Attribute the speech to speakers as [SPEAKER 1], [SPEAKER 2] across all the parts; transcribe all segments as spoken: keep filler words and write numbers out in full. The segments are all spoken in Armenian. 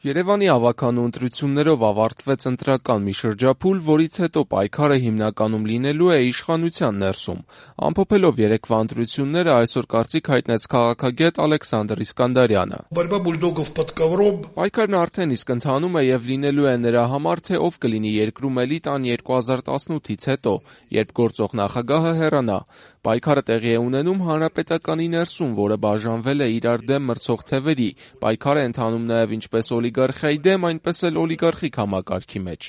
[SPEAKER 1] Երևանի ավականու ընտրություններով ավարտվեց ընտրական մի շրջափուլ, որից հետո պայքարը հիմնականում լինելու է իշխանության ներսում։ Ամփոփելով երեկվա ընտրությունները այսօր կարծիք հայտնեց քաղաքագետ Ալեքսանդր Իսկանդարյանը։ Պայքարն արդեն իսկ ընթանում է եւ լինելու է նրա համար, թե ով կլինի երկրում էլիտան երկու հազար տասնութից հետո, երբ գործող նախագահը հեռանա։ Պայքարը տեղի է ունենում հանրապետականի ներսում, որը բաժանվել է իրար դեմ մրցող թևերի։ Պայքարը ընթանում նաեւ ինչպես օլիգարխիայի դեմ, այնպես էլ օլիգարխիկ համակարգի մեջ։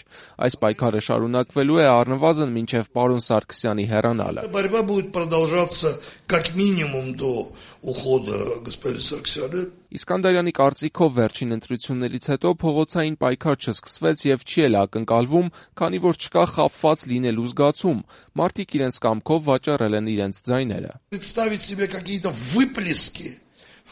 [SPEAKER 1] Այս պայքարը շարունակվելու է առնվազն մինչև պարոն Սարգսյանի հեռանալը։
[SPEAKER 2] Борьба будет продолжаться как минимум до ухода господина Сарксяна.
[SPEAKER 1] Իսկանդարյանի կարծիքով վերջին ընտրություններից հետո փողոցային պայքար չսկսվեց եւ չի էլ ակնկալվում, քանի որ չկա խաբված լինելու զգացում։ Մարդիկ իրենց կամքով վաճառել են իրենց ձայները։
[SPEAKER 2] Представить себе какие-то выплески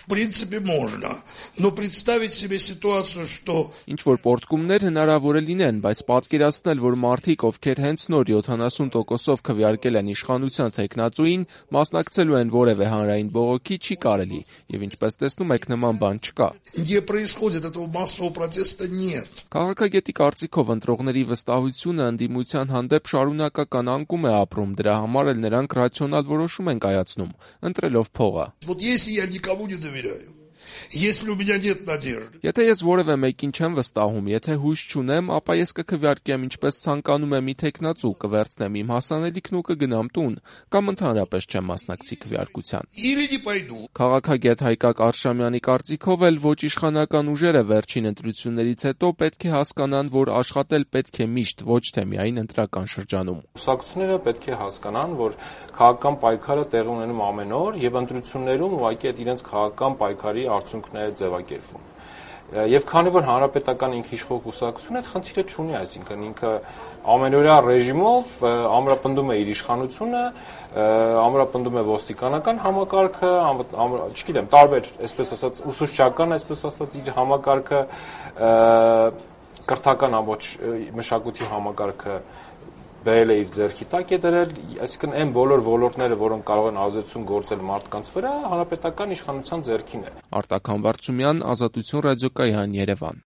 [SPEAKER 2] в принципе можно, но представить себе ситуацию, что
[SPEAKER 1] ինչ որ պորտկումներ հնարավոր է լինեն, բայց պատկերացնել, որ մարդիկ, ովքեր հենց նոր յոթանասուն տոկոսով քվեարկել են իշխանության թեկնածուին, մասնակցելու են որևէ հանրային բողոքի, չի կարելի, եւ ինչպես տեսնում եք, նման բան չկա։
[SPEAKER 2] Где происходит этого массового протеста нет.
[SPEAKER 1] Քաղաքագետի կարծիքով ընտրողների վստահությունը ընդդիմության հանդեպ շարունակական անկում է ապրում, դրա համար էլ նրանք ռացիոնալ որոշում են կայացնում, ընտրելով փողը։
[SPEAKER 2] Вот если я никому не доверяю, если у меня нет надежды.
[SPEAKER 1] Եթե ես որևէ մեկին չեմ վստահում, եթե հույս չունեմ, ապա ես կքվեարկեմ ինչպես ցանկանում եմ մի թեկնածու, կվերցնեմ իմ հասանելիքն ու կգնամ տուն, կամ ընդհանրապես չեմ մասնակցի քվեարկության։
[SPEAKER 2] Или не пойду.
[SPEAKER 1] Քաղաքագետ Հայկակ Արշամյանի կարծիքով էլ ոչ իշխանական ուժերը վերջին ընտրություններից հետո պետք է հասկանան, որ աշխատել պետք է միշտ, ոչ թե միայն ընտրական շրջանում։
[SPEAKER 3] Կուսակցությունները պետք է հասկանան, որ քաղաքական պայքարը տեղի ունենում ամեն օր եւ ընտրություններում ուղղակի այդ իրենց քաղաքական պայքարի արդյունքները ձևակերպվում։ Եվ քանի որ հանրապետական ինքիշխող կուսակցությունը այդ խնդիրը չունի, այսինքն ինքը ամենօրյա ռեժիմով ամրապնդում է իր իշխանությունը, ամրապնդում է ոստիկանական համակարգը, չգիտեմ, տարբեր, այսպես ասած, ուսուցչական, այսպես ասած, իր համակարգը, կրթական ամբողջ մշակույթի համակարգը բերել է իր ձեռքի տակ է դրել, այսինքն այն բոլոր ոլորտները, որոնք կարող են ազդեցություն գործել մարդկանց վրա, հանրապետական իշխանության ձեռքին է։
[SPEAKER 1] Արտակ Համբարձումյան, Ազատություն ռադիոկայան, Երևան։